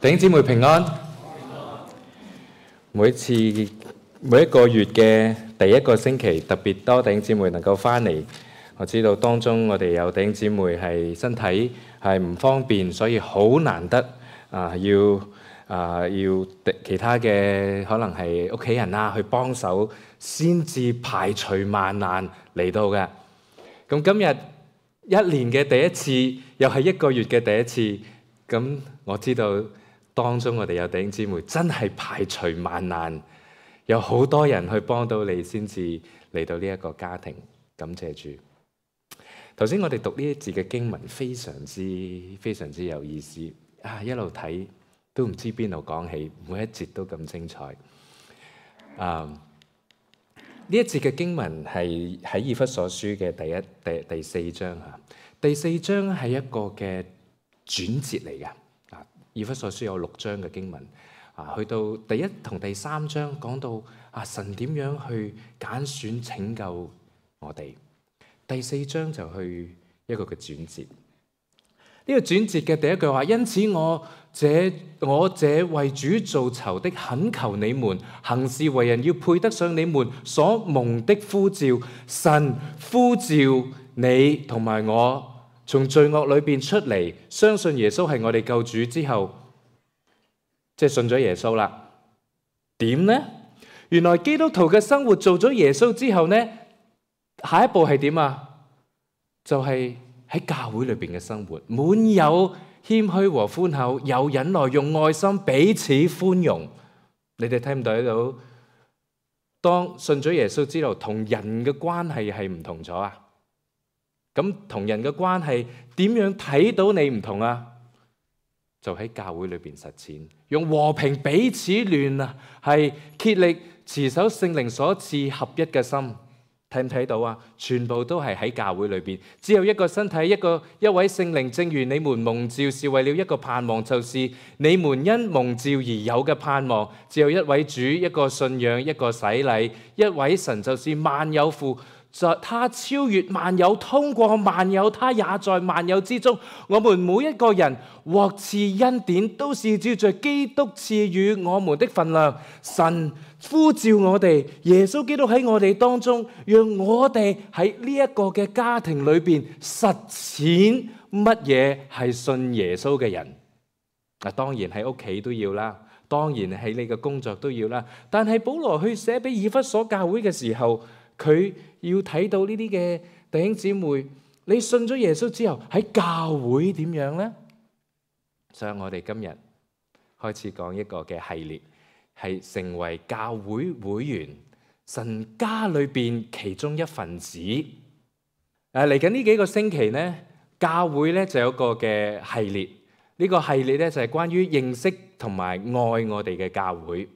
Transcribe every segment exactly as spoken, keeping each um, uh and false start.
弟兄姊妹平安。每次每一個月嘅第一個星期，特別多弟兄姊妹能夠翻嚟。我知道當中我哋有弟兄姊妹係身體係唔方便，所以好難得啊、呃，要啊、呃、要其他嘅可能係屋企人啊去幫手，先至排除萬難嚟到嘅。咁今日一年嘅第一次，又係一個月嘅第一次。咁我知道當中我哋有弟兄姊妹真係排除萬難，有好多人去幫到你，先至嚟到呢一個家庭。感謝主。頭先我哋讀呢一節嘅經文，非常之非常之有意思啊！一路睇都唔知邊度講起，每一節都咁精彩。啊！呢一節嘅經文係喺以弗所書嘅第一第第四章嚇。第四章係一個嘅轉折嚟嘅。啊，以弗所書有六章嘅經文啊，去到第一同第三章講到啊神點樣去揀選拯救我哋。第四章就去一個嘅轉折。呢個轉折嘅第一句話，因此我這我這為主做囚的，懇求你們行事為人要配得上你們所蒙的呼召。神呼召你同埋我從罪惡裏邊出嚟，相信耶穌係我哋救主之後，即係信咗耶穌啦。點呢？原來基督徒嘅生活做咗耶穌之後呢，下一步係點啊？就係喺教會裏邊嘅生活，滿有謙虛和寬厚，有忍耐，用愛心彼此寬容。你哋睇唔睇到？當信咗耶穌之後，同人嘅關係係唔同咗啊！咁同人嘅關係點樣睇到你唔同啊？就喺教會裏邊實踐，用和平彼此戀啊，係竭力持守聖靈所賜合一嘅心。睇唔睇到啊？全部都係喺教會裏邊，只有一個身體，一個一位聖靈。正如你們蒙召是為了一個盼望，就是你們因蒙召而有嘅盼望。只有一位主，一個信仰，一個洗禮，一位神，就是萬有父。在他超越萬有，通過萬有，他也在萬有之中。我們每一個人獲賜恩典，都是照着基督賜予我們的份量。神呼召我哋，耶穌基督喺我哋當中，讓我哋喺呢一個嘅家庭裏邊實踐乜嘢係信耶穌嘅人。啊，當然喺屋企都要啦，當然喺你嘅工作都要啦。但係保羅去寫俾以弗所教會嘅時候，佢要睇到呢啲嘅弟兄姊妹，你信咗耶穌之後喺教會點樣呢？所以我哋今日開始講一個嘅系列，係成為教會會員，神家裏邊其中一份子。誒，嚟緊呢幾個星期呢，教會咧就有一個嘅系列，呢個系列咧就係關於認識同埋愛我哋嘅教會。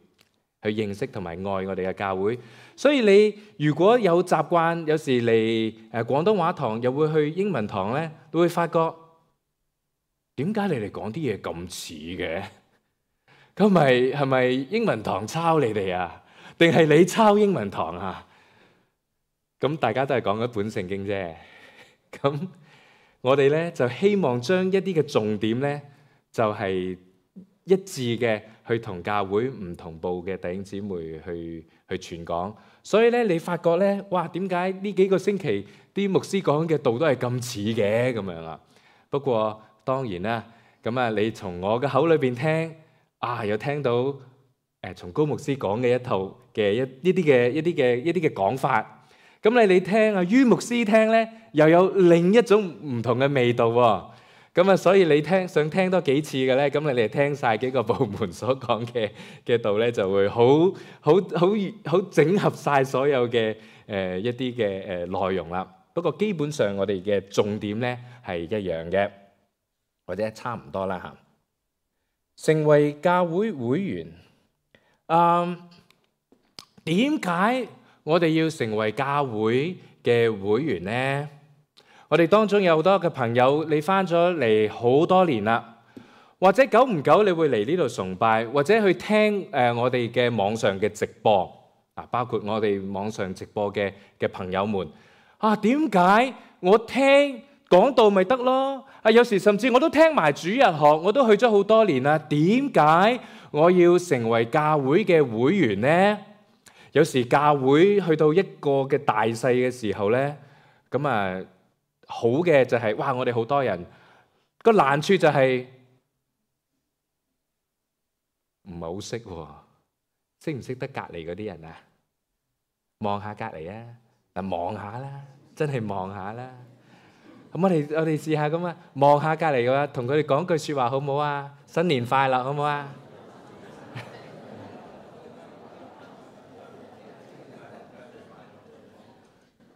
去認識同埋愛我哋嘅教會，所以你如果有習慣，有時嚟誒廣東話堂，又會去英文堂咧，都會發覺點解你哋講啲嘢咁似嘅？咁咪係咪英文堂抄你哋啊？定係你抄英文堂啊？咁大家都係講一本聖經啫。咁我哋咧就希望將一啲嘅重點咧，就係一致嘅。去同教會唔同部嘅弟兄姊妹去去傳講，所以咧你發覺咧，哇，點解呢幾個星期啲牧師講嘅道都係咁似嘅咁樣啊？不過當然啦，咁啊你從我嘅口裏邊聽啊，又聽到誒從高牧師講嘅一套嘅一呢啲嘅一啲嘅一啲嘅講法，咁你你聽啊於牧師聽咧，又有另一種唔同嘅味道喎。咁啊，所以你聽想聽多幾次嘅咧，咁你哋聽晒幾個部門所講嘅嘅道咧，就會好好好好整合晒所有嘅誒一啲嘅誒內容啦。不過基本上我哋嘅重點咧係一樣嘅，或者差唔多啦嚇。成為教會會員，嗯，點解我哋要成為教會嘅會員咧？我哋當中有好多嘅朋友，你返咗嚟好多年啦，或者久唔久你會嚟呢度崇拜，或者去聽誒我哋嘅網上嘅直播啊，包括我哋網上直播嘅嘅朋友們啊，點解我聽講道咪得咯。啊，有時甚至我都聽埋主日學，我都去咗好多年啦。點解我要成為教會嘅會員呢？有時教會去到一個嘅大細嘅時候呢，咁啊好嘅就係哇，我哋好多人。個難處就係唔係好識喎，識唔識得隔離嗰啲人啊？望下隔離啊，嗱望下啦，真係望下啦。咁我哋我哋試下咁啊，望下隔離嘅話，同佢哋講句説話好唔好啊？新年快樂好唔好啊？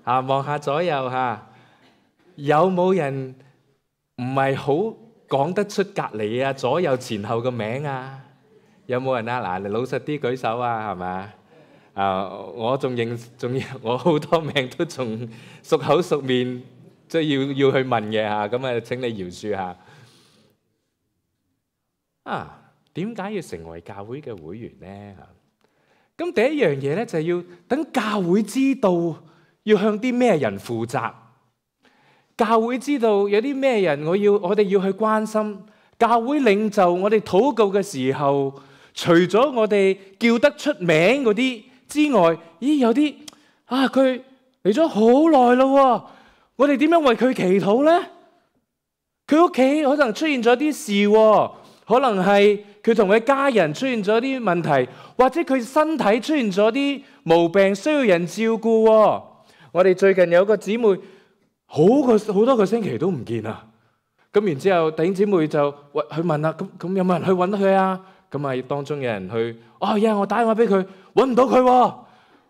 啊，望下左右嚇，有冇人唔係好講得出隔離啊？左右前後嘅名啊？有冇人啊？嗱，你老實啲舉手啊，係咪？啊，我仲認，仲我好多名都仲熟口熟面，即係要要去問嘅嚇。咁啊，請你饒恕下。啊，點解要成為教會嘅會員呢？咁第一樣嘢咧，就係要等教會知道要向啲咩人負責。教會知道有啲咩人，我要我哋要去關心。教會領袖，我哋禱告嘅時候，除咗我哋叫得出名嗰啲之外，咦有啲啊佢嚟咗好耐咯，我哋點樣為佢祈禱咧？佢屋企可能出現咗啲事，可能係佢同佢家人出現咗啲問題，或者佢身體出現咗啲毛病，需要人照顧。我哋最近有個姊妹，好個好多個星期都唔見啦。咁然之後，弟兄姊妹就喂去問啦，咁咁有冇人去揾佢啊？咁啊，當中有人去，哦，有人我打電話俾佢，揾唔到佢喎。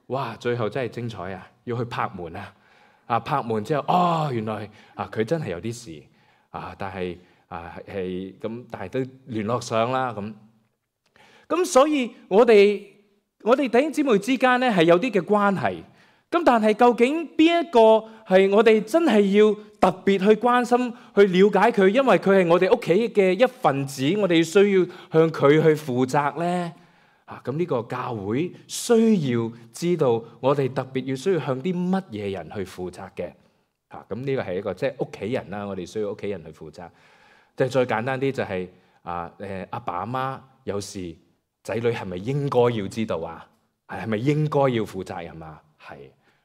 哇！最後真係精彩啊！要去拍門啊！啊，拍門之後，哦，原來啊佢真係有啲事啊，但係啊係咁，但係都聯絡上啦咁。咁所以我哋我哋弟兄姊妹之間咧係有啲嘅關係。咁但係究竟邊一個係我哋真係要特別去關心、去了解佢？因為佢係我哋屋企嘅一份子，我哋需要向佢去負責呢。啊，咁呢個教會需要知道，我哋特別要需要向啲乜嘢人去負責嘅。啊，咁呢個係一個即係屋企人啦，我哋需要屋企人去負責。即係再簡單啲就係啊誒阿爸阿媽有事，仔女係咪應該要知道啊？係係咪應該要負責任啊？係。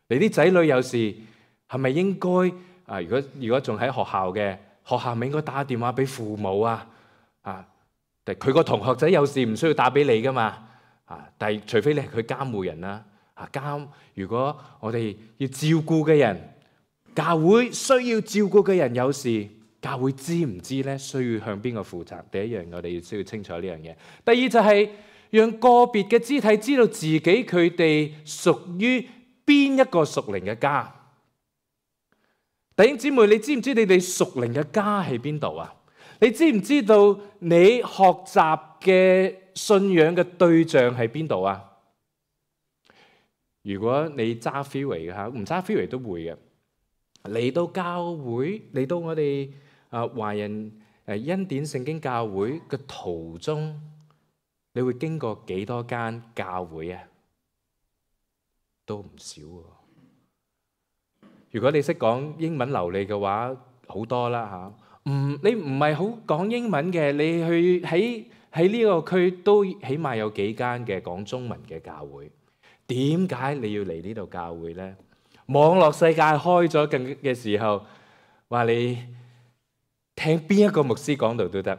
你啲仔女有事，係咪應該啊？如果如果仲喺學校嘅，學校咪應該打電話俾父母啊？啊，佢個同學仔有事唔需要打俾你噶嘛？啊，但係除非你係佢監護人啦。啊，監如果我哋要照顧嘅人，教會需要照顧嘅人有事，教會知唔知咧？需要向邊個負責？第一樣我哋要需要清楚呢樣嘢。第二就係讓個別嘅肢體知道自己佢哋屬於邊一個屬靈嘅家？弟兄姊妹，你知唔知你哋屬靈嘅家喺邊度啊？你知唔知道你學習嘅信仰嘅對象喺邊度啊？如果你揸 freeway 嘅吓，唔揸 freeway 都會嘅。嚟到教會，嚟到我哋啊華人誒恩典聖經教會嘅途中，你會經過幾多間教會啊？都唔少喎。如果你識講英文流利嘅話，好多啦嚇。唔，你唔係好講英文嘅，你去喺喺呢個區都起碼有幾間嘅講中文嘅教會。點解你要嚟呢度教會呢？網絡世界開咗嘅嘅時候，話你聽邊一個牧師講道都得。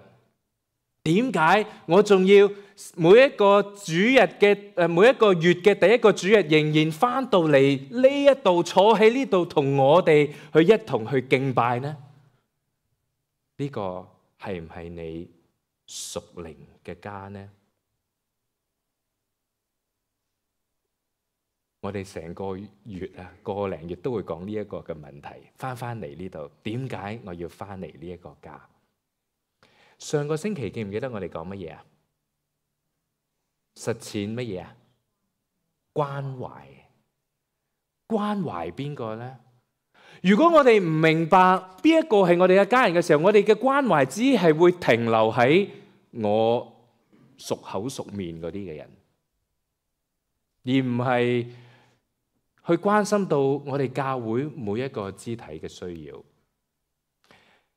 點解我仲要每一個主日嘅誒每一個月嘅第一個主日，仍然翻到嚟呢一度坐喺呢度同我哋去一同去敬拜呢？呢個係唔係你屬靈嘅家呢？我哋成個月啊，個零月都會講呢一個嘅問題。翻翻嚟呢度，點解我要翻嚟呢一個家？上個星期記唔記得我哋講乜嘢啊？實踐乜嘢啊？關懷，關懷邊個呢？如果我哋唔明白邊一個係我哋嘅家人嘅時候，我哋嘅關懷只係會停留喺我熟口熟面嗰啲嘅人，而唔係去關心到我哋教會每一個肢體嘅需要。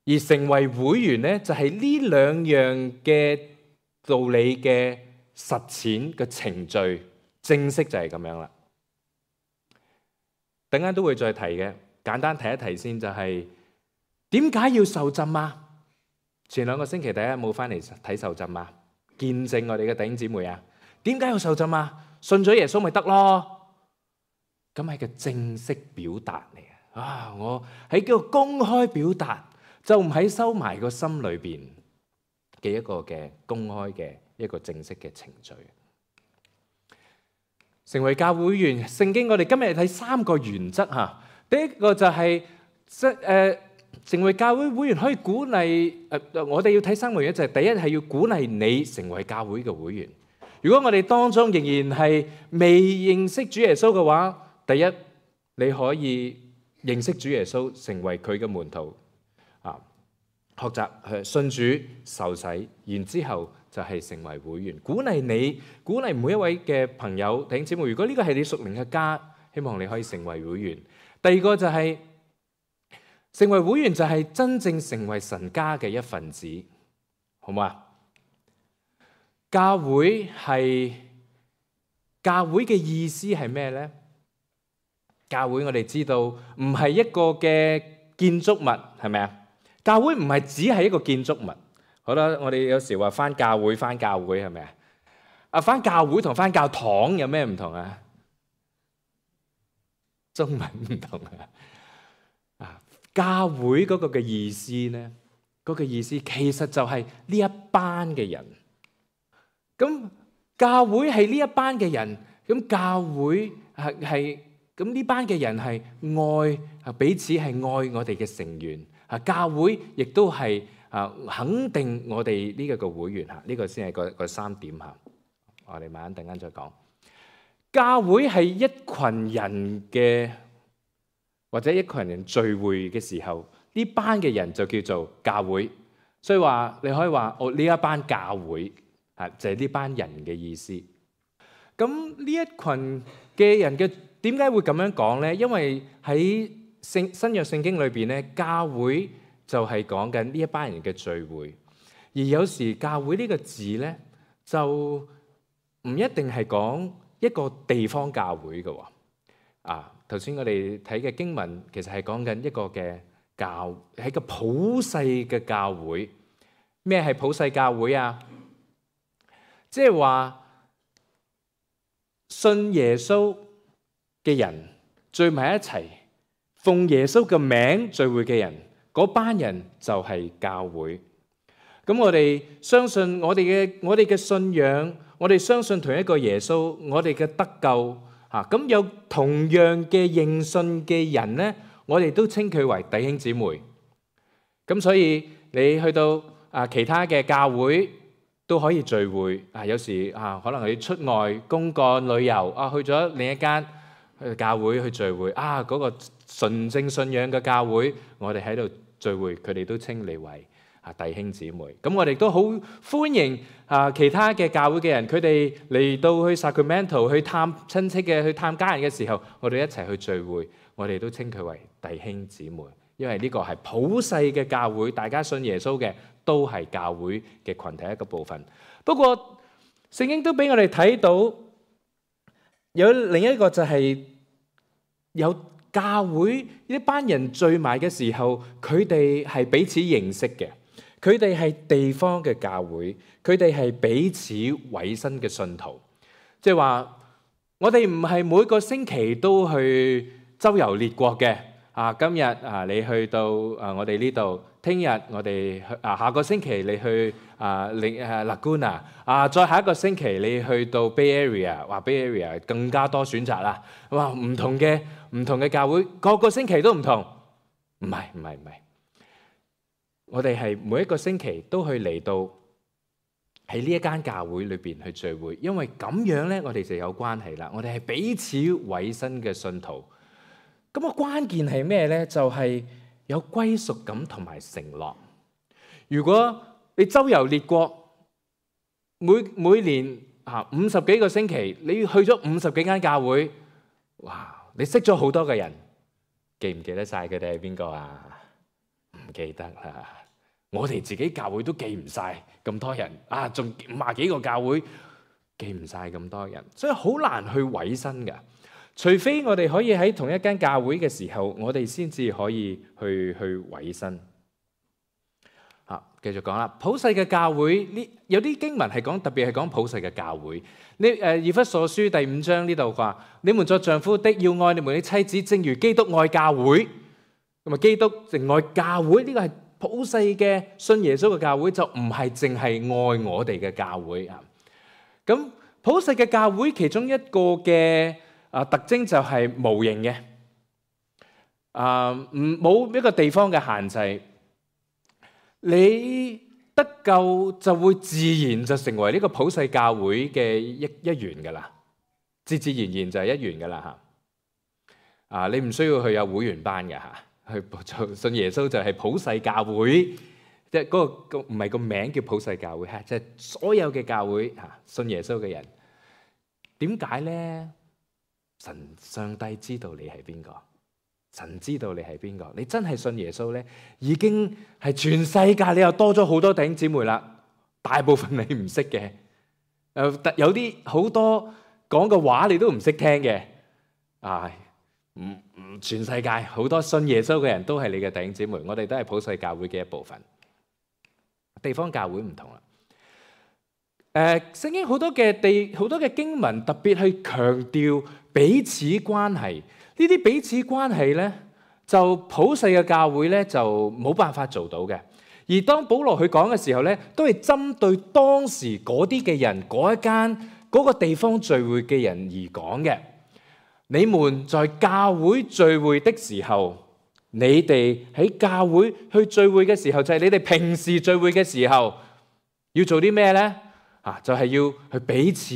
而成為會員咧，就係呢兩樣嘅道理嘅實踐嘅程序，正式就係咁樣啦。等間都會再提嘅，簡單提一提先，就係點解要受浸啊？前兩個星期大家冇翻嚟睇受浸啊？見證我哋嘅弟兄姊妹啊？點解要受浸啊？信咗耶穌咪得咯？咁係個正式表達嚟嘅啊！我喺叫公開表達，就唔喺收埋個心裏邊嘅一個嘅公開嘅一個正式嘅程序。成為教會會員，聖經我哋今日睇三個原則嚇。第一個就係即誒成為教會會員可以鼓勵誒，我哋要睇三個原則，就係第一係要鼓勵你成為教會嘅會員。如果我哋當中仍然係未認識主耶穌嘅話，第一你可以認識主耶穌，成為佢嘅門徒啊，學習去信主受洗，然之後就係成為會員。鼓勵你，鼓勵每一位嘅朋友弟兄姊妹，如果呢個係你屬靈嘅家，希望你可以成為會員。第二個就係成為會員，就係真正成為神家嘅一份子，好唔好啊？教會係教會嘅意思係咩呢？教會我哋知道唔係一個嘅建築物，係咪啊？教會唔係只係一個建築物。好啦，我哋有時話返教會，返教會係咪啊？啊，返教會同返教堂有咩唔同啊？中文唔同啊！啊，教會嗰個嘅意思咧，嗰個意思其實就係呢一班嘅人。咁教會係呢一班嘅人，咁教會係係咁呢班嘅人係愛啊，彼此係愛我哋嘅成員啊。教會亦都係啊肯定我哋呢個個會員嚇，呢個先係個個三點嚇。我哋慢慢等間再講。教會係一群人嘅，或者一群人聚會嘅時候，呢班嘅人就叫做教會。所以話你可以話哦，呢一班教會啊，就係呢班人嘅意思。咁呢一群嘅人嘅點解會咁樣講咧？因為喺聖新約聖經裏邊咧，教會就係講緊呢一班人嘅聚會。而有時教會呢個字咧，就唔一定係講一個地方教會嘅喎。啊，頭先我哋睇嘅經文其實係講緊一個嘅教，係個普世嘅教會。咩係普世教會啊？即係話信耶穌嘅人聚埋一齊，奉耶穌嘅名聚會嘅人，嗰班人就係教會。咁我哋相信我哋嘅我哋嘅信仰，我哋相信同一個耶穌，我哋嘅得救嚇，咁有同樣嘅認信嘅人咧，我哋都稱佢為弟兄姊妹。咁所以你去到啊其他嘅教會都可以聚會啊，有時啊可能你出外公幹旅遊啊，去咗另一間教會去聚會啊，嗰個純正信仰嘅教會，我哋喺度聚會，佢哋都稱你為啊弟兄姊妹。咁我哋都好歡迎啊其他嘅教會嘅人，佢哋嚟到去 Sacramento 去探親戚嘅，去探家人嘅時候，我哋一齊去聚會，我哋都稱佢為弟兄姊妹，因為呢個係普世嘅教會，大家信耶穌嘅都係教會嘅群體一個部分。不過聖經都俾我哋睇到有另一個就係有教會一班人聚埋嘅時候，佢哋係彼此認識嘅，佢哋係地方嘅教會，佢哋係彼此委身嘅信徒。即係話我哋唔係每個星期都去周遊列國嘅。啊，今日啊你去到啊我哋呢度，聽日我哋去啊下個星期你去啊另啊 Laguna 啊，再下一個星期你去到 Bay Area， 話 Bay Area 更加多選擇啦。哇，唔同嘅唔同嘅教會，個個星期都唔同。唔係唔係唔係，我哋係每一個星期都去嚟到喺呢一間教會裏邊去聚會，因為咁樣咧，我哋就有關係啦。我哋係彼此委身嘅信徒。咁個關鍵係咩咧？就係有歸屬感同埋承諾。如果你周遊列國，每每年啊五十幾個星期，你去咗五十幾間教會，哇！你識咗好多個人，記唔記得晒佢哋係邊個啊？唔記得啦。我哋自己教會都記唔晒咁多人啊，仲五廿幾個教會記唔晒咁多人，所以好難去委身㗎。除非我哋可以喺同一間教會嘅時候，我哋先至可以去去委身。啊，繼續講啦，普世嘅教會呢，有啲經文係講，特別係講普世嘅教會。呢誒以弗所書第五章呢度話：你們作丈夫的要愛你們的妻子，正如基督愛教會。咁啊，基督淨愛教會，呢個係普世嘅信耶穌嘅教會，就唔係淨係愛我哋嘅教會啊。咁普世嘅教會其中一個嘅啊特徵就係無形嘅，啊唔冇一個地方嘅限制。你得救就會自然就成為呢個普世教會嘅一一員噶啦，自自然然就係一員噶啦吓。啊，你唔需要去有會員班嘅吓，去做信耶穌就係普世教會，即係嗰個唔係個名叫普世教會吓，即係所有嘅教會吓，信耶穌嘅人。點解咧？神上帝知道你係邊個。神知道你係邊個，你真係信耶穌咧，已經係全世界你又多咗好多弟兄姊妹啦。大部分你唔識嘅，誒有啲好多講嘅話你都唔識聽嘅，啊唔唔全世界好多信耶穌嘅人都係你嘅弟兄姊妹，我哋都係普世教會嘅一部分。地方教會唔同啦，誒聖經好多嘅地好多嘅經文特別去強調彼此關係。呢啲彼此關係咧，就普世嘅教會咧就冇辦法做到嘅。而當保羅去講嘅時候咧，都係針對當時嗰啲嘅人，嗰一間嗰個地方聚會嘅人而講嘅。你們在教會聚會的時候，你哋喺教會去聚會嘅時候，就係你哋平時聚會嘅時候，要做啲咩咧？啊，就係要去彼此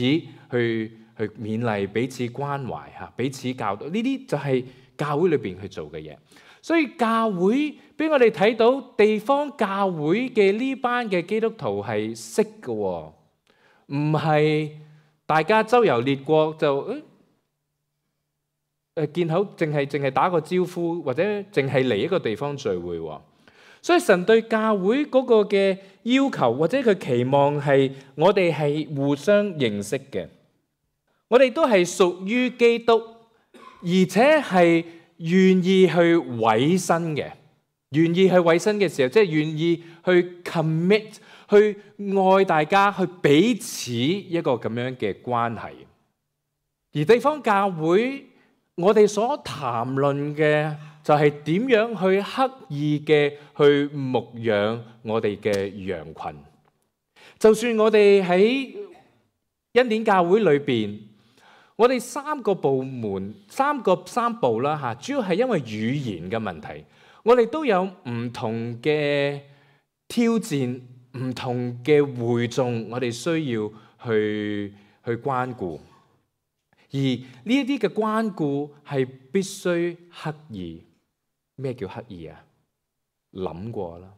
去。去勉勵彼此關懷嚇，彼此教導，呢啲就係教會裏邊去做嘅嘢。所以教會俾我哋睇到地方教會嘅呢班嘅基督徒係識嘅，唔係大家周遊列國就誒誒見口淨係淨係打個招呼，或者淨係嚟一個地方聚會。所以神對教會嗰個嘅要求或者佢期望係我哋係互相認識嘅。我哋都係屬於基督，而且係願意去委身嘅，願意去委身嘅時候，即係願意去 commit，去愛大家，去彼此一個咁樣嘅關係。而地方教會，我哋所談論嘅就係點樣去刻意嘅去牧養我哋嘅羊群。就算我哋喺恩典教會裏邊，我哋三個部門，三個三部啦嚇，主要係因為語言嘅問題，我哋都有唔同嘅挑戰，唔同嘅會眾，我哋需要去去關顧。而呢一啲嘅關顧係必須刻意。咩叫刻意啊？諗過啦。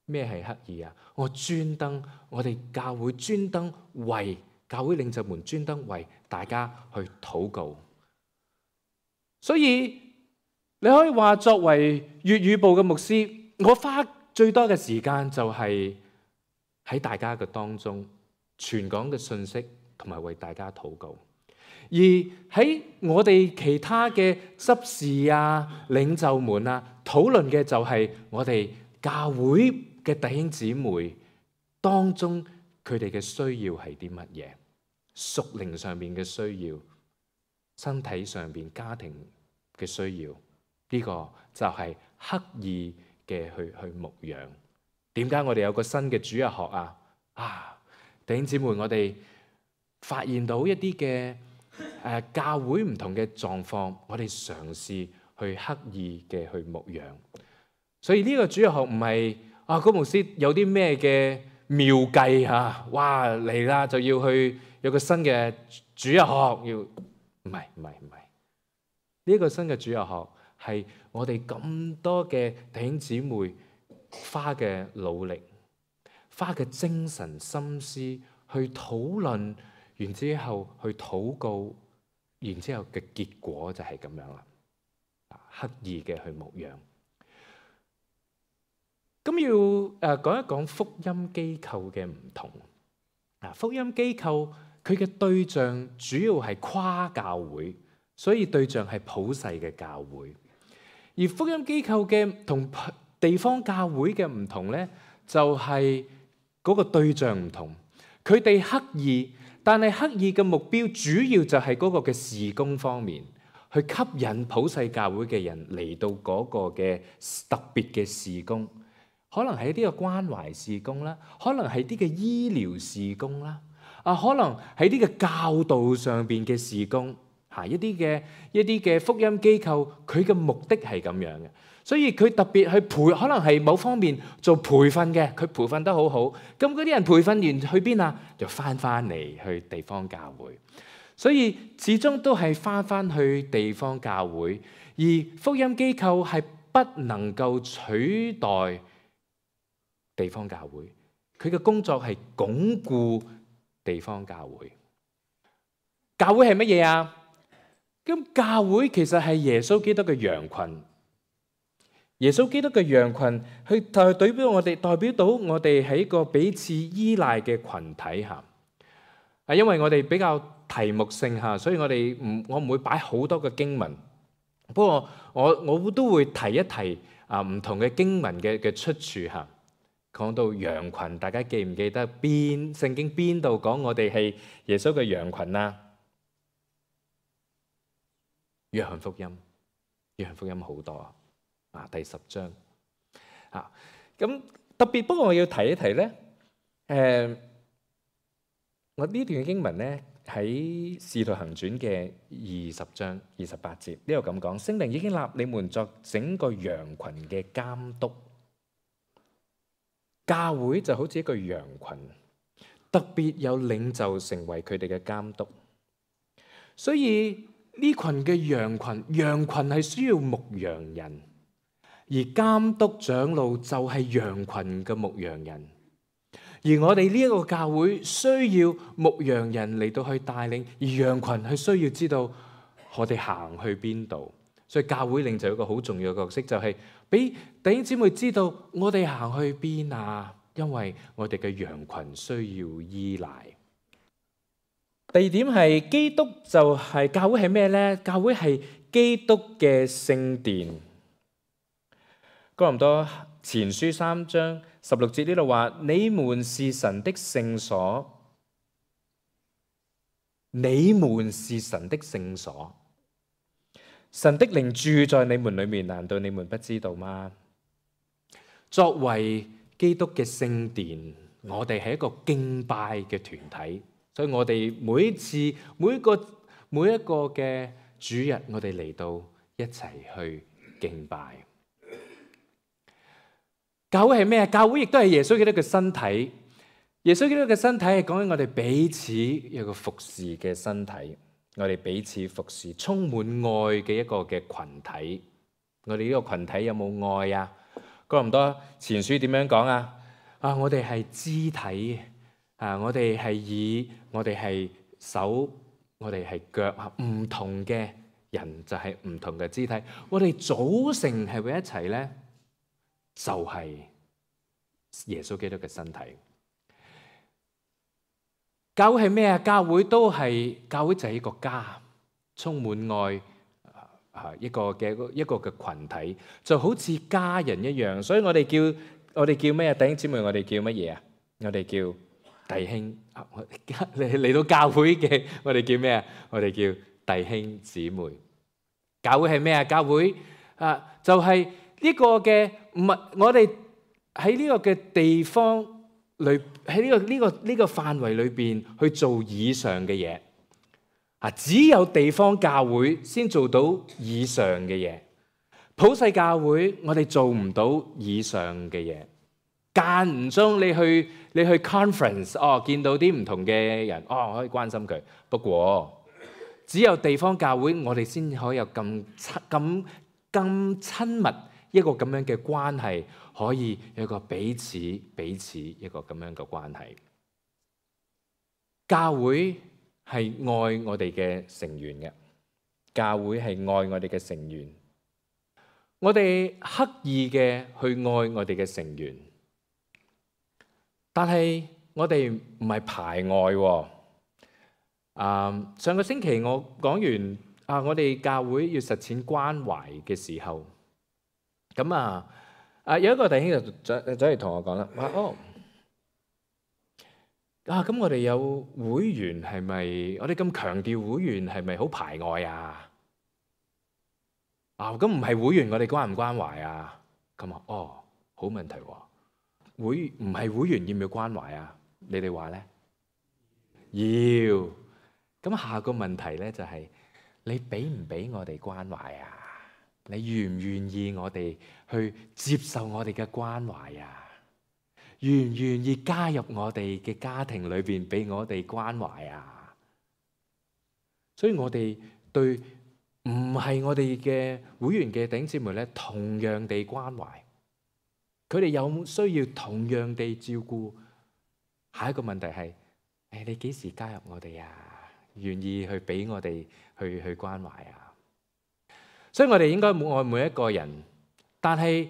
咩係刻意啊？我專登，我哋教會專登為教會領袖們專登為大家去禱告，所以你可以話作為粵語部嘅牧師，我花最多嘅時間就係喺大家嘅當中傳講嘅信息，同埋為大家禱告。而喺我哋其他嘅執事啊、領袖們啊，討論嘅就係我哋教會嘅弟兄姊妹當中，佢哋嘅需要係啲乜嘢？屬靈上面嘅需要，身體上面家庭嘅需要，呢個就係刻意嘅去去牧養。點解我哋有個新嘅主日學啊？啊，弟兄姊妹，我哋發現到一啲嘅誒教會唔同嘅狀況，我哋嘗試去刻意嘅去牧養。所以呢個主日學唔係啊，高牧師有啲咩嘅妙計嚇？哇嚟啦就要去有個新嘅主日學，要唔係唔係唔係呢個新嘅主日學係我哋咁多嘅弟兄姊妹花嘅努力、花嘅精神心思去討論，然之後去禱告，然之後嘅結果就係咁樣啦。刻意嘅去牧養。咁要誒講一講福音機構嘅唔同。啊，福音機構佢嘅對象主要係跨教會，所以對象係普世嘅教會。而福音機構嘅同地方教會嘅唔同呢，就係嗰個對象唔同。佢哋刻意，但係刻意嘅目標主要就係嗰個嘅事工方面，去吸引普世教會嘅人嚟到嗰個嘅特別嘅事工。可能係一啲嘅關懷事工啦，可能係啲嘅醫療事工啦，啊，可能係啲嘅教導上邊嘅事工，嚇一啲嘅一啲嘅福音機構，佢嘅目的係咁樣嘅，所以佢特別去培，可能係某方面做培訓嘅，佢培訓得好好，咁嗰啲人培訓完去邊啊？就翻翻嚟去地方教會，所以始終都係翻翻去地方教會，而福音機構係不能夠取代地方教會，佢嘅工作係鞏固地方教會。教會係乜嘢啊？咁教會其實係耶穌基督嘅羊群。耶穌基督嘅羊群，去代代表我哋，代表到我哋係一個彼此依賴嘅群體嚇。啊，因為我哋比較題目性嚇，所以我哋唔，我唔會擺好多嘅經文。不過我我都會提一提啊唔同嘅經文嘅嘅出處嚇。講到羊群，大家記唔記得邊聖經邊度講我哋係耶穌嘅羊群啊？約翰福音，約翰福音好多啊，第十章啊。咁特別，不過我要提一提咧，誒，我呢段經文咧喺《使徒行傳》嘅二十章二十八節呢度咁講，聖靈已經立你們作整個羊群嘅監督。教會就好似一個羊群，特別有領袖成為佢哋嘅監督，所以呢群嘅羊群，羊群係需要牧羊人，而監督長老就係羊群嘅牧羊人，而我哋呢一個教會需要牧羊人嚟到去帶領，而羊群係需要知道我哋行去邊度。所以教會領袖有一個好重要嘅角色，就係俾弟兄姊妹知道我哋行去邊啊，因為我哋嘅羊群需要依賴。第二點係基督就係、是、教會係咩呢？教會係基督嘅聖殿。哥林多前書三章十六節呢度話：你們是神的聖所，你們是神的聖所。神的靈住在你們裏面，難道你們不知道嗎？作為基督嘅聖殿，我哋係一個敬拜嘅團體，所以我哋每一次每一個每一個嘅主日，我哋嚟到一齊去敬拜。教會係咩啊？教會亦都係耶穌基督嘅身體。耶穌基督嘅身體係講緊我哋彼此有個服侍嘅身體。我哋彼此服侍，充滿愛嘅一個嘅群體。我哋呢個群體有冇愛啊？哥林多前書點樣講啊？啊，我哋係肢體啊！我哋係以我哋係手，我哋係腳啊！唔同嘅人就係唔同嘅肢體。我哋組成係會一齊咧，就係耶穌基督嘅身體。教會係咩啊？教會都係教會就係一個家，充滿愛啊！一個嘅一個嘅群體，就好似家人一樣。所以我哋叫我哋叫咩啊？弟兄姊妹，我哋叫乜嘢啊？我哋叫弟兄。嚟嚟到教會嘅，我哋叫咩啊？我哋叫弟兄姊妹。教會係咩啊？教會啊，就係呢個嘅唔係我哋喺呢個嘅地方。喺呢個呢個呢個範圍裏邊去做以上嘅嘢啊，只有地方教會先做到以上嘅嘢。普世教會我哋做唔到以上嘅嘢。間唔中你去你去 conference 哦，見到啲唔同嘅人哦，可以關心佢。不過只有地方教會我哋先可以有咁咁咁親密一個咁樣嘅關係。可以有一個彼此彼此一個咁樣嘅關係。教會係愛我哋嘅成員嘅，教會係愛我哋嘅成員。我哋刻意嘅去愛我哋嘅成員，但係我哋唔係排外喎。啊，上個星期我講完啊，我哋教會要實踐關懷嘅時候，咁啊啊有一個弟兄就走走嚟同我講啦，話哦啊，咁我哋有會員係咪？我哋咁強調會員係咪好排外啊？啊，咁唔係會員，我哋關唔關懷啊？咁啊，哦，好問題喎。會唔係會員要唔要關懷啊？你哋話咧？要。咁下個問題咧就係你俾唔俾我哋關懷啊？你願唔願意我哋去接受我哋嘅關懷啊？願唔願意加入我哋嘅家庭裏邊俾我哋關懷啊？所以我哋對唔係我哋嘅會員嘅弟兄姊妹咧，同樣地關懷，佢哋有需要同樣地照顧。下一個問題係：誒，你幾時加入我哋啊？願意去俾我哋去去關懷啊？所以我哋應該愛每一個人，但係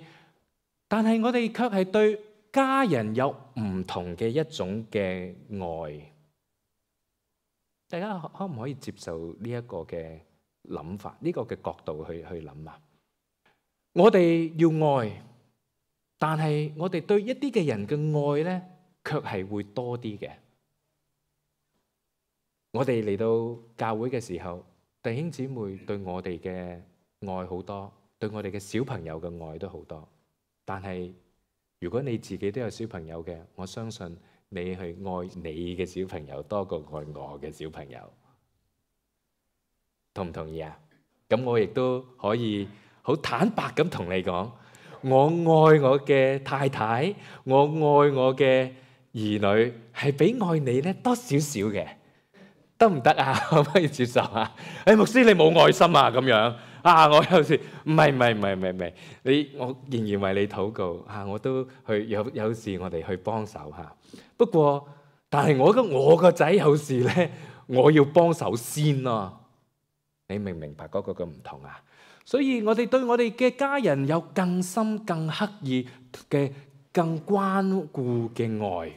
但係我哋卻係對家人有唔同嘅一種嘅愛。大家可唔可以接受呢一個嘅諗法，呢個嘅角度去去諗啊？我哋要愛，但係我哋對一啲嘅人嘅愛咧，卻係會多啲嘅。我哋嚟到教會嘅時候，弟兄姊妹對我哋嘅愛好多，對我哋嘅小朋友嘅愛都好多。但係如果你自己都有小朋友嘅，我相信你去愛你嘅小朋友多過愛我嘅小朋友，同唔同意啊？咁我亦都可以好坦白咁同你講，我愛我嘅太太，我愛我嘅兒女係比愛你咧多少少嘅，得唔得啊？可唔可以接受啊？誒，牧師你冇愛心啊？咁樣啊？我有時唔係唔係唔係唔係唔係，你我仍然為你禱告嚇，我都去有有時我哋去幫手嚇。不過，但係我個我個仔有時咧，我要幫手先咯。你明唔明白嗰個嘅唔同啊？所以我哋對我哋嘅家人有更深、更刻意嘅、更關顧嘅愛，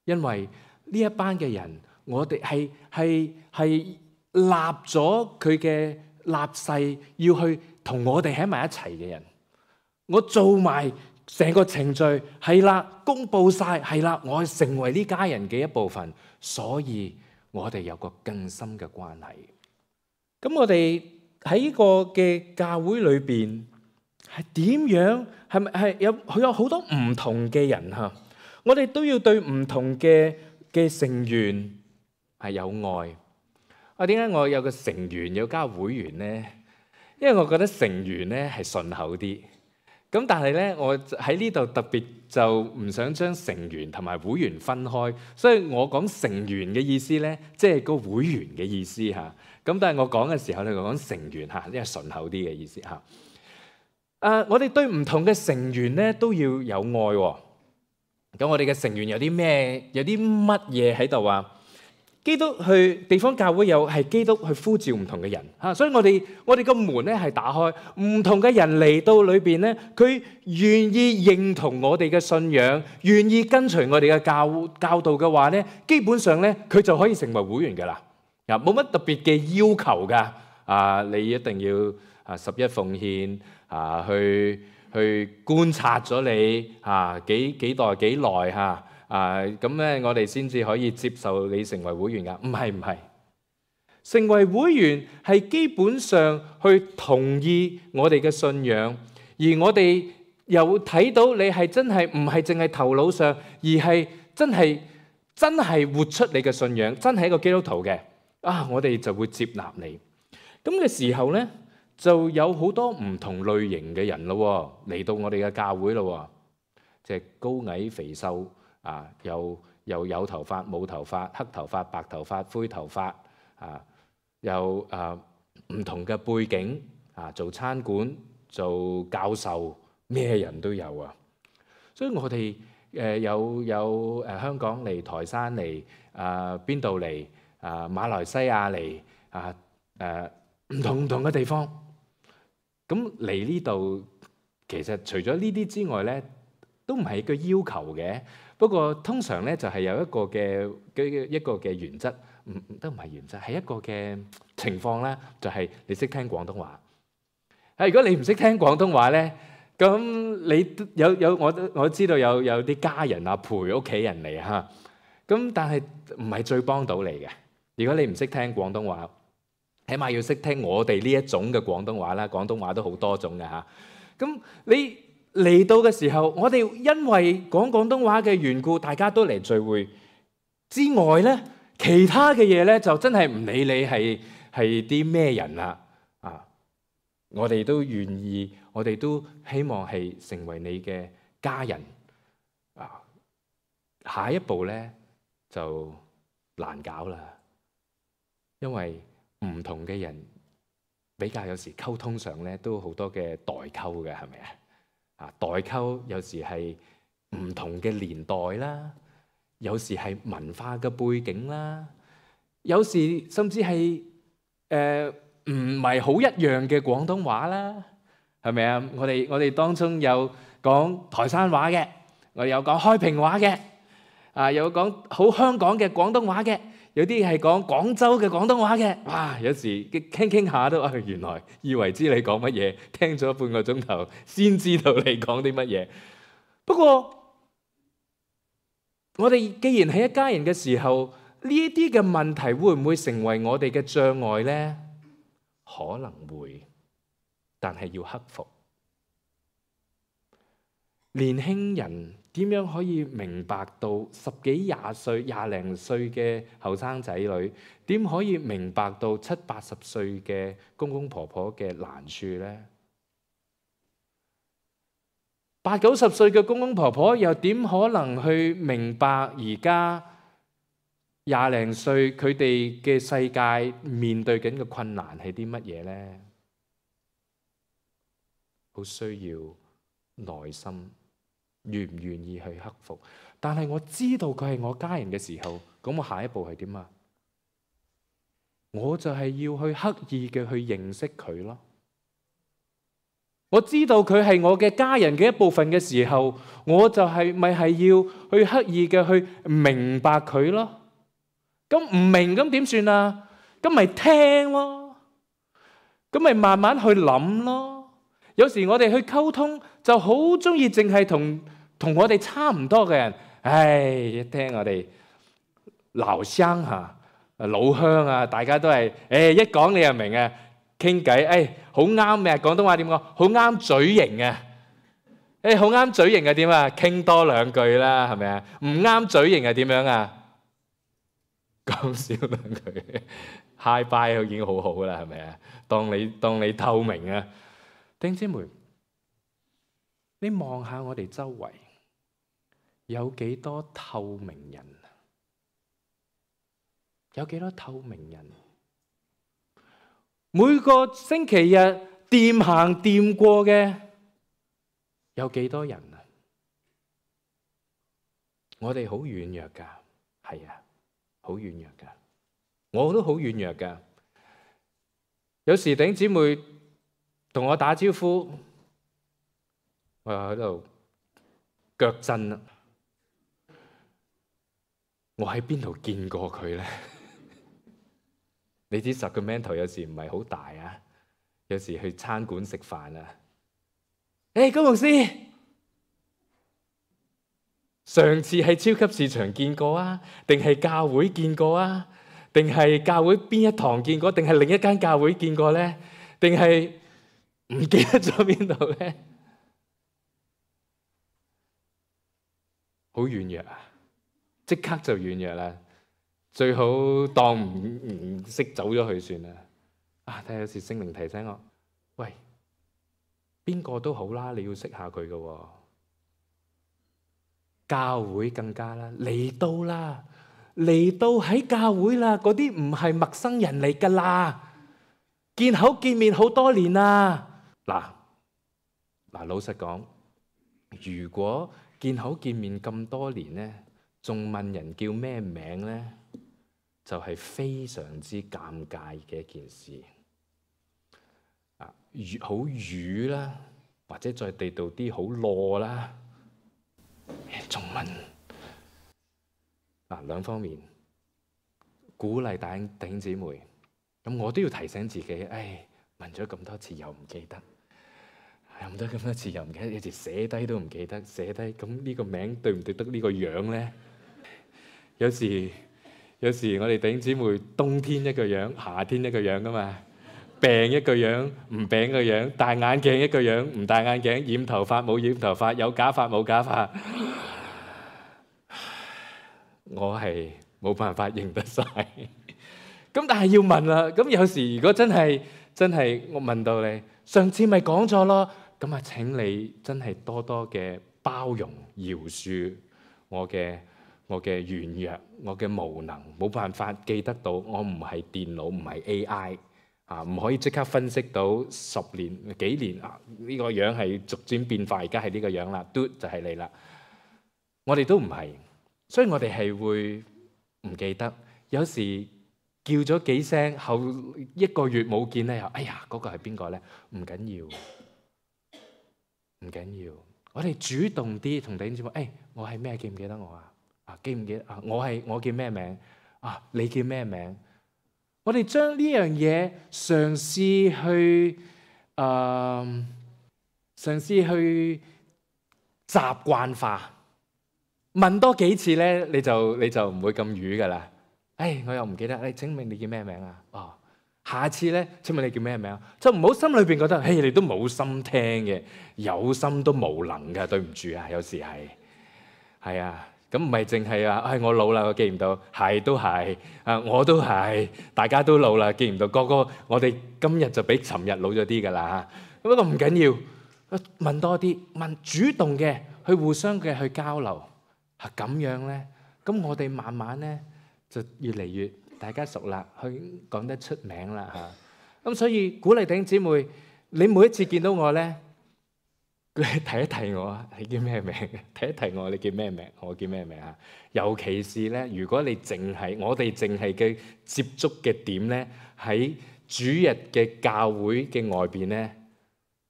因為呢一班嘅人，我哋係係係立咗佢嘅立誓，要去同我哋喺埋一齊嘅人。我做埋成個程序係啦，公佈晒係啦，我成為呢家人嘅一部分，所以我哋有個更深嘅關係。咁我哋喺呢個嘅教會裏邊係點樣？係咪係有佢有好多唔同嘅人嚇？我哋都要對唔同嘅嘅成員係有愛。啊，點解我有個成員要加會員咧？因為我覺得成員咧係順口啲。咁但係咧，我喺呢度特別就唔想將成員同埋會員分開，所以我講成員嘅意思咧，即係個會員嘅意思嚇。咁但係我講嘅時候咧，就講成員嚇，因為順口啲嘅意思嚇。誒，我哋對唔同嘅成員咧都要有愛喎。咁我哋嘅成員有啲咩？有啲乜嘢喺度啊？基督去地方教會有係基督去呼召唔同嘅人嚇，所以我哋我哋個門咧係打開，唔同嘅人嚟到裏邊咧，佢願意認同我哋嘅信仰，願意跟隨我哋嘅教教導嘅話咧，基本上咧佢就可以成為會員㗎啦。啊，冇乜特別嘅要求㗎。啊，你一定要啊十一奉獻啊，去去觀察咗你啊幾幾代幾耐嚇。啊，咁咧，我哋先至可以接受你成為會員噶。唔係唔係，成為會員係基本上去同意我哋嘅信仰，而我哋又睇到你係真係唔係淨係頭腦上，而係真係真係活出你嘅信仰，真係一個基督徒嘅啊！我哋就會接納你。咁嘅時候咧，就有好多唔同類型嘅人咯，嚟到我哋嘅教會咯，即係高矮肥瘦。啊，又又有頭髮冇頭髮，黑頭髮白頭髮灰頭髮啊，有啊唔同嘅背景啊，做餐館做教授咩人都有啊。所以我哋誒有有誒香港嚟、台山嚟啊，邊度嚟啊，馬來西亞嚟啊，誒唔同唔同嘅地方，咁嚟呢度其實除咗呢啲之外咧，都唔係一個要求嘅。不過通常咧就係有一個嘅嘅一個嘅原則，唔都唔係原則，係一個嘅情況啦，就係你識聽廣東話。啊，如果你唔識聽廣東話咧，咁你有有我都我知道有有啲家人啊陪屋企人嚟嚇，咁但係唔係最幫到你嘅。如果你唔識聽廣東話，起碼要識聽我哋呢一種嘅廣東話啦。廣東話都好多種嘅嚇。咁你嚟到嘅時候，我哋因為講廣東話嘅緣故，大家都嚟聚會之外咧，其他嘅嘢咧就真係唔理你係係啲咩人啦啊！我哋都願意，我哋都希望係成為你嘅家人啊！下一步咧就難搞啦，因為唔同嘅人比較有時溝通上咧都好多嘅代溝嘅，係咪啊？啊，代溝有時係唔同嘅年代啦，有時係文化嘅背景啦，有時甚至係誒唔係好一樣嘅廣東話啦，係咪啊？我哋我哋當中有講台山話嘅，我哋有講開平話嘅，啊有講好香港嘅廣東話嘅，有啲係講廣州嘅廣東話嘅。哇！有時傾傾下都啊，原來以為知你講乜嘢，聽咗半個鐘頭先知道你講啲乜嘢。不過我哋既然係一家人嘅時候，呢一啲嘅問題會唔會成為我哋嘅障礙呢？可能會，但係要克服。年輕人點樣可以明白到十幾廿歲、廿零歲嘅後生仔女點可以明白到七八十歲嘅公公婆婆嘅難處呢？八九十歲嘅公公婆婆又點可能去明白而家廿零歲佢哋嘅世界面對緊嘅困難係啲乜嘢呢？好需要耐心，願唔願意去克服？但係我知道佢係我家人嘅時候，咁我下一步係點啊？我就係要去刻意嘅去認識佢咯。我知道佢係我嘅家人嘅一部分嘅時候，我就係咪係要去刻意嘅去明白佢咯？咁唔明咁點算啊？咁咪聽咯，咁咪慢慢去諗咯。有時我哋去溝通就好中意淨係同同我哋差唔多嘅人，唉，一聽我哋老鄉嚇、老鄉啊，大家都係誒一講你就明啊，傾偈誒好啱嘅廣東話點講？好啱嘴型啊！誒好啱嘴型係點啊？傾多兩句啦，係咪啊？唔啱嘴型係點樣啊？講少兩句 ，high bye 已經好好啦，係咪啊？當你當你透明啊，弟兄姊妹，你望下我哋周圍有幾多透明人？有幾多透明人？每個星期日掂行掂過嘅有幾多人啊？我哋好軟弱噶，係啊。好軟弱噶，我都好軟弱噶。有時弟兄姊妹同我打招呼，我又喺度腳震啦。我喺邊度見過佢咧？你知 Sacramento 有時唔係好大啊，有時去餐館食飯啊。誒，高牧師。上次喺超級市場見過啊，定係教會見過啊，定係教會邊一堂見過，定係另一間教會見過咧，定係唔記得咗邊度咧？好軟弱啊！即刻就軟弱啦，最好當唔唔識走咗去算啦。啊，睇下有時聖靈提醒我，喂，邊個都好啦，你要識下佢㗎喎。教會更加啦，嚟到啦，嚟到喺教會啦，嗰啲唔係陌生人嚟噶啦，見口見面好多年啦。嗱嗱，老實講，如果見口見面咁多年咧，仲問人叫咩名咧，就係非常之尷尬嘅一件事。啊，語好語啦，或者再地道啲好囉啦，中文啊兩方面鼓勵弟兄弟兄姊妹。咁我都要提醒自己，唉，問咗咁多次又唔記得，問咗咁多次又唔記得，有時寫低都唔記得，寫低咁呢個名對唔對得呢個樣咧？有時有時我哋弟兄姊妹冬天一個樣，夏天一個樣噶嘛，病一個樣，唔病一個樣，戴眼鏡一個樣，唔戴眼鏡，染頭髮冇染頭髮，有假髮冇假髮，我係冇辦法認得晒。咁但係要問啦，咁有時如果真係真係我問到你，上次咪講咗咯，咁啊請你真係多多嘅包容饒恕我嘅我嘅軟弱，我嘅無能，冇辦法記得到，我唔係電腦，唔係 A I 啊，唔可以即刻分析到十年幾年啊呢個樣係逐漸變化，而家係呢個樣啦，嘟就係你啦。我哋都唔係，所以我哋係會唔記得，有時。叫咗幾聲後一個月冇見咧，又哎呀嗰個係邊個咧？唔緊要，唔緊要。我哋主動啲同弟兄姊妹，誒，我係咩？記唔記得我啊？啊，記唔記得啊？我係我叫咩名？啊，你叫咩名？我哋將呢樣嘢嘗試去誒，嘗試去習慣化，問多幾次咧，你就你就唔會咁瘀噶啦。誒，我又唔記得，誒，請問你叫咩名啊？哦，下次咧，請問你叫咩名？就唔好心裏邊覺得，誒，你都冇心聽嘅，有心都無能㗎，對唔住啊，有時係，係啊，咁唔係淨係啊，誒，我老啦，我記唔到，係都係，啊，我都係，大家都老啦，記唔到，個個我哋今日就比尋日老咗啲㗎啦嚇，不過唔緊要，問多啲，問主動嘅，去互相嘅去交流，係咁樣咧，咁我哋慢慢咧。就越嚟越大家熟啦，去講得出名啦嚇。咁所以鼓勵弟兄姊妹，你每一次見到我咧，你提一提我啊，你叫咩名？提一提我，你叫咩名？我叫咩名啊？尤其是咧，如果你淨係我哋淨係嘅接觸嘅點咧，喺主日嘅教會嘅外邊咧，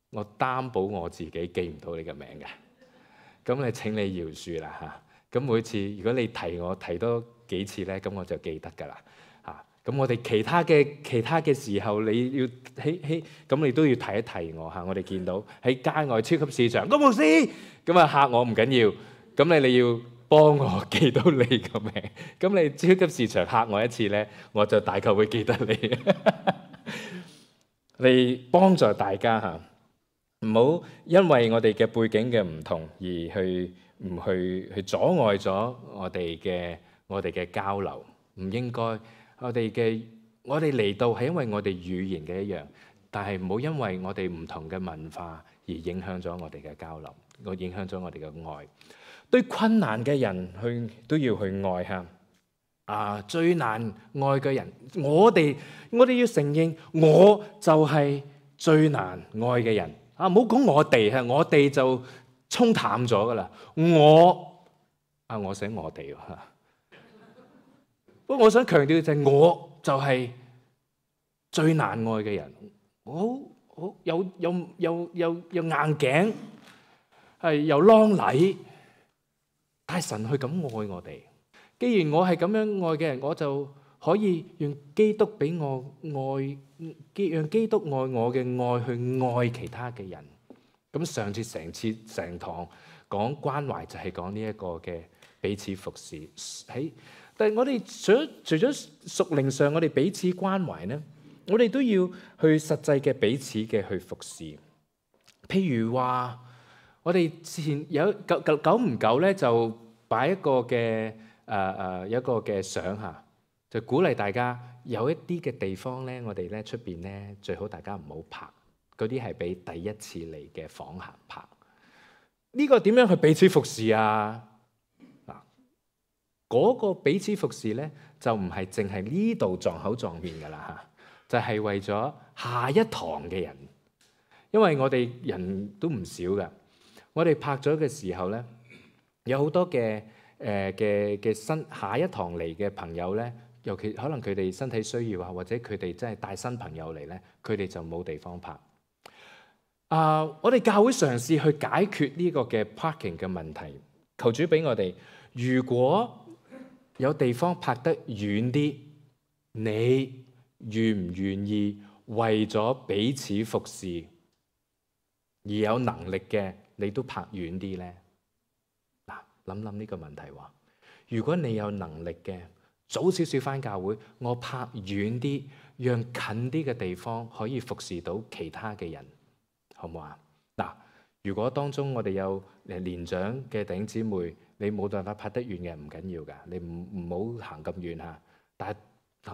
我擔保我自己記唔到你嘅名嘅。咁你請你饒恕啦嚇。咁每次如果你提我提多幾次咧，咁我就記得㗎啦嚇。咁我哋其他嘅其他嘅時候，你要喺喺咁，你都要提一提我嚇。我哋見到喺街外超級市場，高牧師咁啊嚇我唔緊要，咁你你要幫我記到你個名。咁你超級市場嚇我一次咧，我就大概會記得你。你幫助大家嚇，唔好因為我哋嘅背景嘅唔同而去唔去去阻礙咗我哋嘅。我哋嘅交流唔應該，我哋嘅我哋嚟到係因為我哋語言嘅一樣，但係唔好因為我哋唔同嘅文化而影響咗我哋嘅交流，我影響咗我哋嘅愛。對困難嘅人去都要去愛下啊！最難愛嘅人，我哋我哋要承認，我就係最難愛嘅人啊！唔好講我哋係我哋就沖淡咗噶啦，我啊，我寫我哋喎。不過我想強調就係我就係最難愛嘅人，我好有有有有有硬頸，係又啷禮，但係神去咁愛我哋。既然我係咁樣愛嘅人，我就可以讓基督俾我愛，讓基督愛我嘅愛去愛其他嘅人。咁上次成次成堂講關懷就係講呢一個嘅彼此服侍喺。但係我哋除咗除咗屬靈上，我哋彼此關懷咧，我哋都要去實際嘅彼此嘅去服侍。譬如話，我哋前有久久久唔久咧，就擺一個嘅誒誒一個嘅相嚇，就鼓勵大家有一啲嘅地方咧，我哋咧出邊咧最好大家唔好拍，嗰啲係俾第一次嚟嘅訪客拍。呢個點樣去彼此服侍啊？嗰個彼此服侍咧，就唔係淨係呢度撞口撞面噶啦嚇，就係為咗下一堂嘅人，因為我哋人都唔少噶。我哋拍咗嘅時候咧，有好多嘅誒嘅嘅新下一堂嚟嘅朋友咧，尤其可能佢哋身體需要啊，或者佢哋真係帶新朋友嚟咧，佢哋就冇地方拍。啊、呃，我哋教會嘗試去解決呢個嘅 parking 嘅問題，求主俾我哋，如果有地方泊得遠啲，你願唔願意為咗彼此服侍而有能力嘅，你都泊遠啲呢？嗱，諗諗呢個問題話，如果你有能力嘅，早少少返教會，我泊遠啲，讓近啲嘅地方可以服侍到其他嘅人，好唔好啊？嗱，如果當中我哋有誒年長嘅弟兄姊妹，你冇辦法泊得遠嘅唔緊要㗎，你唔唔好行咁遠嚇。但係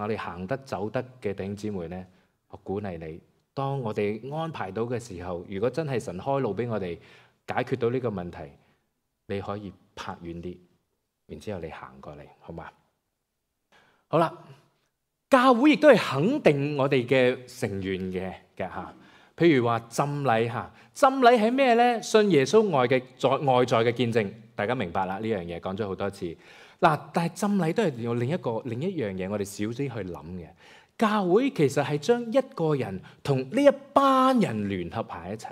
我哋行得走得嘅弟兄姊妹咧，我鼓勵你，當我哋安排到嘅時候，如果真係神開路俾我哋解決到呢個問題，你可以泊遠啲，然之後你行過嚟，好嘛？好啦，教會亦都係肯定我哋嘅成員嘅嘅嚇。譬如話浸禮嚇，浸禮係咩咧？信耶穌外嘅在外在嘅見證，大家明白啦。呢樣嘢講咗好多次嗱，但係浸禮都係有另一個另一樣嘢，我哋少啲去諗嘅。教會其實係將一個人同呢一班人聯合埋一齊。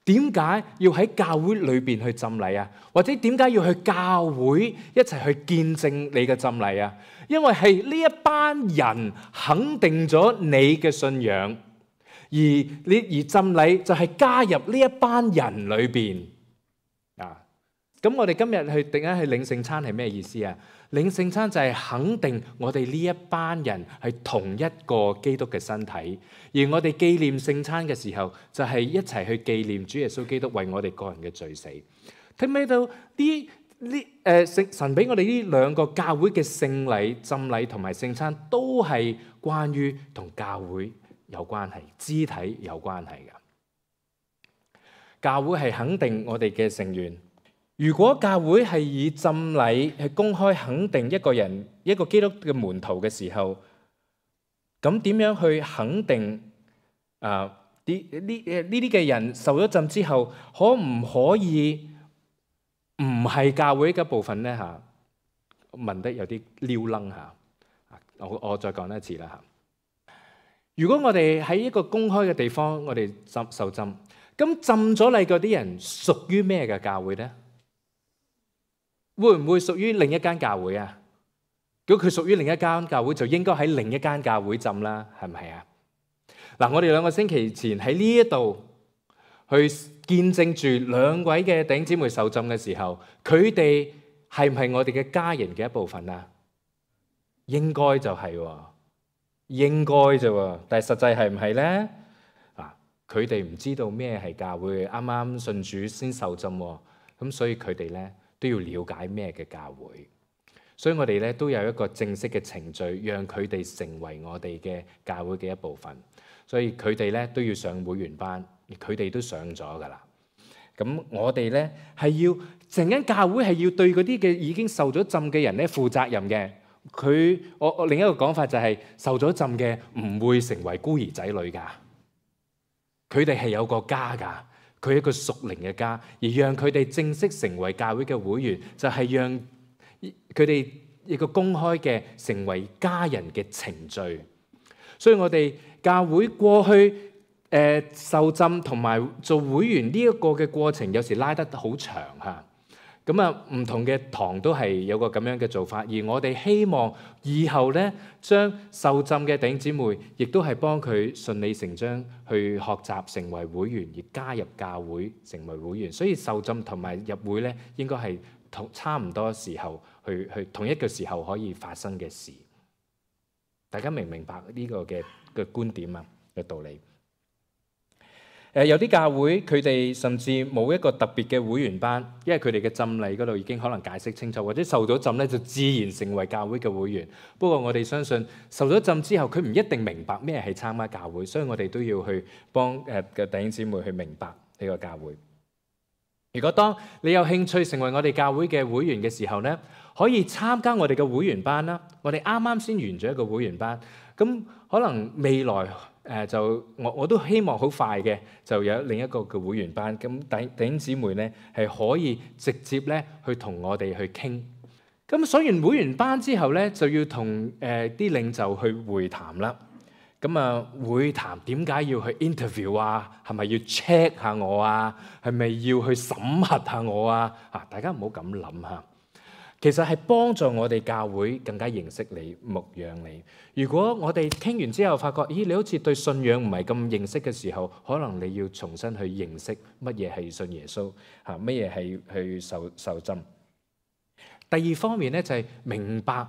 點解要喺教會裏邊去浸禮啊？或者點解要去教會一齊去見證你嘅浸禮啊？因為係呢一班人肯定咗你嘅信仰。而你而浸禮就係加入呢一班人裏邊啊！咁我哋今日去點解去領聖餐係咩意思啊？領聖餐就係肯定我哋呢一班人係同一個基督嘅身體，而我哋紀念聖餐嘅時候，就係一齊去紀念主耶穌基督為我哋個人嘅罪死。聽唔聽到呢？呢誒聖神俾我哋呢兩個教會嘅聖禮、浸禮同埋聖餐，都係關於同教會有關係，肢體有關係嘅。教會係肯定我哋嘅成員。如果教會係以浸禮係公開肯定一個人、一個基督嘅門徒嘅時候，咁點樣去肯定啊啲呢誒呢啲嘅人受咗浸之後，可唔可以唔係教會嘅部分咧？嚇，問得有啲撩楞嚇。我我再講一次啦嚇。如果我哋喺一個公開嘅地方，我哋浸受浸，咁浸咗禮嗰啲人屬於咩嘅教會咧？會唔會屬於另一間教會啊？如果佢屬於另一間教會，就應該喺另一間教會浸啦，係唔係啊？嗱，我哋兩個星期前喺呢一度去見證住兩位嘅弟兄姊妹受浸嘅時候，佢哋係唔係我哋嘅家人嘅一部分啊？應該就係喎。應該啫喎，但係實際係唔係咧？啊，佢哋唔知道咩係教會，啱啱信主先受浸喎，咁所以佢哋咧都要了解咩嘅教會。所以我哋咧都有一個正式嘅程序，讓佢哋成為我哋嘅教會嘅一部分。所以佢哋咧都要上會員班，佢哋都上咗噶啦。咁我哋咧係要成間教會係要對嗰啲嘅已經受咗浸嘅人咧負責任嘅。佢我我另一個講法就係受咗浸嘅唔會成為孤兒仔女㗎，佢哋係有個家㗎，佢係一個屬靈嘅家，而讓佢哋正式成為教會嘅會員，就係讓佢哋一個公開嘅成為家人嘅程序。所以我哋教會過去誒受浸同埋做會員呢一個嘅過程，有時拉得好長嚇。咁啊，唔同嘅堂都係有個咁樣嘅做法，而我哋希望以後咧，將受浸嘅弟兄姊妹，亦都係幫佢順理成章去學習成為會員，而加入教會成為會員。所以受浸同埋入會咧，應該係同差唔多時候去去同一個時候可以發生嘅事。大家明唔明白呢個嘅嘅觀點啊嘅道理？誒有啲教會佢哋甚至冇一個特別嘅會員班，因為佢哋嘅浸禮嗰度已經可能解釋清楚，或者受咗浸咧就自然成為教會嘅會員。不過我哋相信受咗浸之後，佢唔一定明白咩係參加教會，所以我哋都要去幫誒嘅弟兄姊妹去明白呢個教會。如果當你有興趣成為我哋教會嘅會員嘅時候咧，可以參加我哋嘅會員班啦。我哋啱啱先完咗一個會員班，咁可能未來。誒、呃、就我我都希望好快嘅就有另一個嘅會員班，咁弟弟兄姊妹咧係可以直接咧去同我哋去傾。咁上完會員班之後咧，就要同誒啲領袖去會談啦。咁啊，會談點解要去 interview 啊？係咪要 check 下我啊？係咪要去審核下我啊？啊，大家唔好咁諗嚇。其實係幫助我哋教會更加認識你、牧養你。如果我哋聽完之後發覺，咦，你好似對信仰唔係咁認識嘅時候，可能你要重新去認識乜嘢係信耶穌嚇，乜嘢係去受受浸。第二方面咧就係明白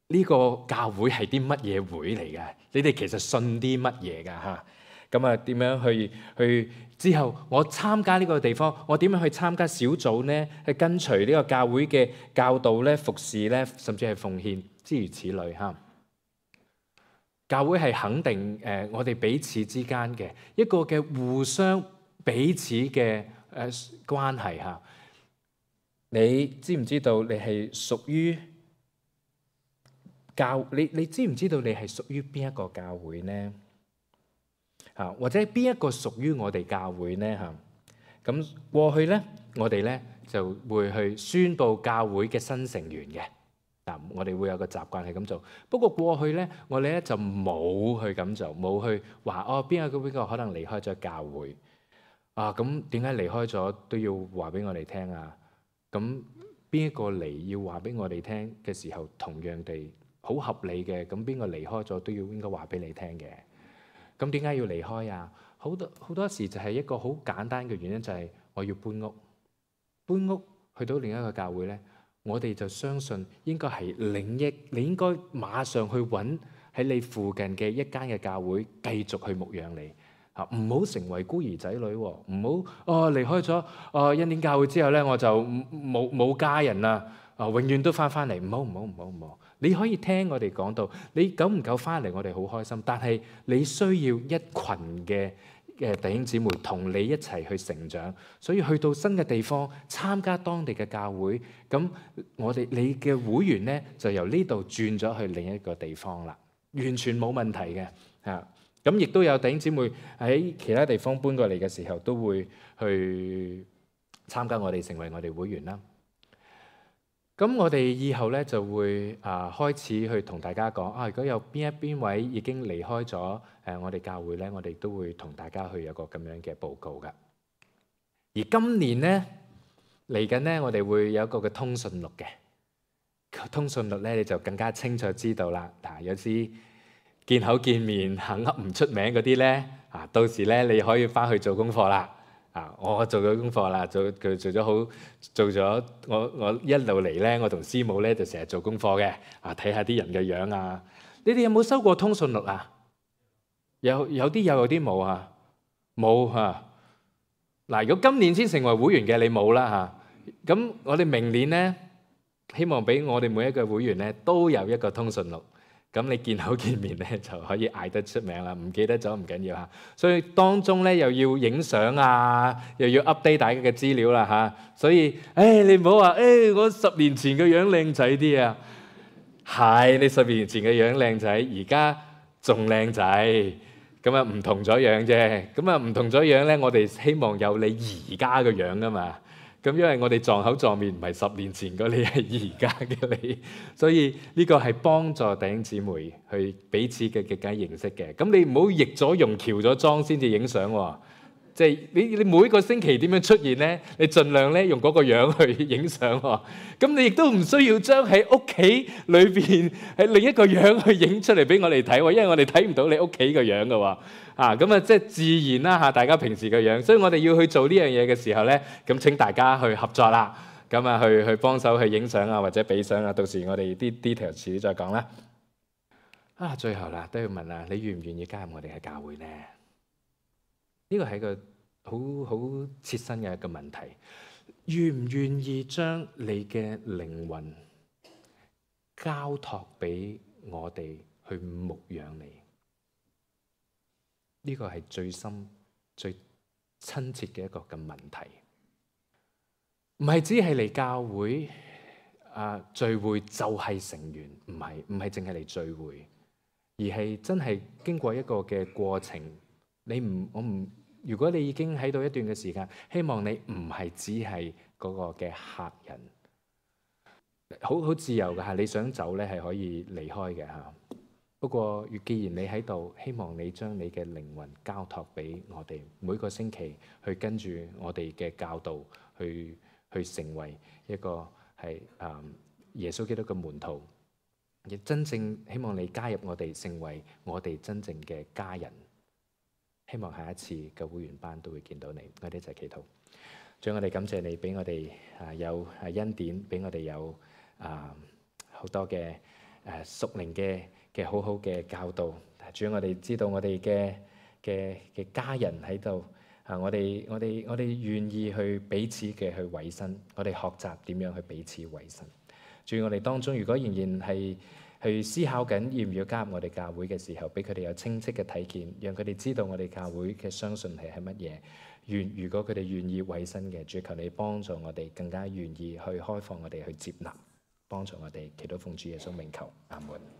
呢個教會係啲乜嘢會嚟嘅？你哋其實信啲乜嘢㗎嚇？咁啊點樣去去之後，我參加呢個地方，我點樣去參加小組呢？去跟隨呢個教會嘅教導咧、服侍咧，甚至係奉獻，諸如此類嚇。教會係肯定誒我哋彼此之間嘅一個嘅互相彼此嘅誒關係嚇。你知唔知道你係屬於教？你你知唔知道你係屬於邊一個教會呢？嚇，或者邊一個屬於我哋教會呢？嚇，咁過去咧，我哋咧就會去宣佈教會嘅新成員嘅。嗱，我哋會有個習慣係咁做。不過過去咧，我哋咧就冇去咁做，冇去話哦邊個邊個可能離開咗教會啊？咁點解離開咗都要話俾我哋聽啊？咁邊一個嚟要話俾我哋聽嘅時候，同樣地好合理嘅。咁邊個離開咗都要應該話俾你聽嘅。咁點解要離開啊？好多好多時就係一個好簡單嘅原因，就係我要搬屋。搬屋去到另一個教會咧，我哋就相信應該係另一，你應該馬上去揾喺你附近嘅一間嘅教會繼續去牧養你。嚇，唔好成為孤兒仔女喎，唔好哦離開咗哦恩典教會之後咧，我就冇冇家人啦，啊、哦、永遠都翻翻嚟，唔好唔好唔好唔好。你可以聽我哋講到，你久唔久翻嚟，我哋好開心。但係你需要一群嘅嘅弟兄姊妹同你一齊去成長，所以去到新嘅地方參加當地嘅教會，咁我哋你嘅會員咧就由呢度轉咗去另一個地方啦，完全冇問題嘅嚇。咁亦都有弟兄姊妹喺其他地方搬過嚟嘅時候，都會去參加我哋，成為我哋會員啦。咁我哋以後咧就會啊開始去同大家講啊，如果有邊一邊位已經離開咗誒我哋教會咧，我哋都會同大家去有個咁樣嘅報告噶。而今年咧嚟緊咧，我哋會有一個嘅通訊錄嘅通訊錄咧，你就更加清楚知道啦。嗱，有啲見口見面肯噏唔出名嗰啲咧，啊，到時咧你可以翻去做功課啦。啊，我做咗功課啦，做佢做咗好，做咗我我一路嚟咧，我同師母咧就成日做功課嘅。啊，睇下啲人嘅樣啊。你哋有冇收過通訊錄啊？有有啲有，有啲冇啊。冇嚇。嗱，如果今年先成為會員嘅，你冇啦嚇。咁我哋明年咧，希望俾我哋每一個會員咧都有一個通訊錄。咁你見口見面咧就可以嗌得出名啦，唔記得咗唔緊要嚇。所以當中咧又要影相啊，又要 update 大家嘅資料啦嚇。所以，誒、哎、你唔好話誒我十年前嘅樣靚仔啲啊，係你十年前嘅樣靚仔，而家仲靚仔，咁啊唔同咗樣啫。咁啊唔同咗樣咧，我哋希望有你而家嘅樣噶嘛。咁因為我哋撞口撞面唔係十年前嗰你，係而家嘅你，所以呢個係幫助弟兄姊妹去彼此嘅更加認識嘅。咁你唔好易咗容、喬咗妝先至影相喎。即係你你每個星期點樣出現咧？你盡量咧用嗰個樣去影相喎。咁你亦都唔需要將喺屋企裏邊喺另一個樣去影出嚟俾我哋睇喎，因為我哋睇唔到你屋企個樣嘅喎。啊，咁啊即係自然啦嚇，大家平時嘅樣。所以我哋要去做呢樣嘢嘅時候咧，咁請大家去合作啦。咁啊去去幫手去影相啊，或者俾相啊。到時我哋啲 details 遲啲再講啦。啊，最後啦都要問啊，你願唔願意加入我哋嘅教會咧？呢個係個好好切身嘅一個問題，願唔願意將你嘅靈魂交託俾我哋去牧養你？呢個係最深、最親切嘅一個嘅問題，唔係只係嚟教會啊聚會就係成員，唔係唔係淨係嚟聚會，而係真係經過一個嘅過程。你唔我唔，如果你已經喺度一段嘅時間，希望你唔係只係嗰個嘅客人，好好自由嘅嚇。你想走咧係可以離開嘅嚇。不過，既然你喺度，希望你將你嘅靈魂交託俾我哋，每個星期去跟住我哋嘅教導，去去成為一個係誒耶穌基督嘅門徒，亦真正希望你加入我哋，成為我哋真正嘅家人。希望下一次嘅會員班都會見到你。我哋一齊祈禱。主，我哋感謝你俾我哋啊有啊恩典，俾我哋有啊好多嘅誒屬靈嘅嘅好好嘅教導。主，我哋知道我哋嘅嘅嘅家人喺度啊，我哋我哋我哋願意去彼此嘅去委身，我哋學習點樣去彼此委身。主，我哋當中如果仍然係去思考緊要唔要加入我哋教會嘅時候，俾佢哋有清晰嘅睇見，讓佢哋知道我哋教會嘅相信係係乜嘢。願如果佢哋願意委身嘅，主，求你幫助我哋更加願意去開放我哋去接納，幫助我哋祈禱奉主耶穌名求，阿門。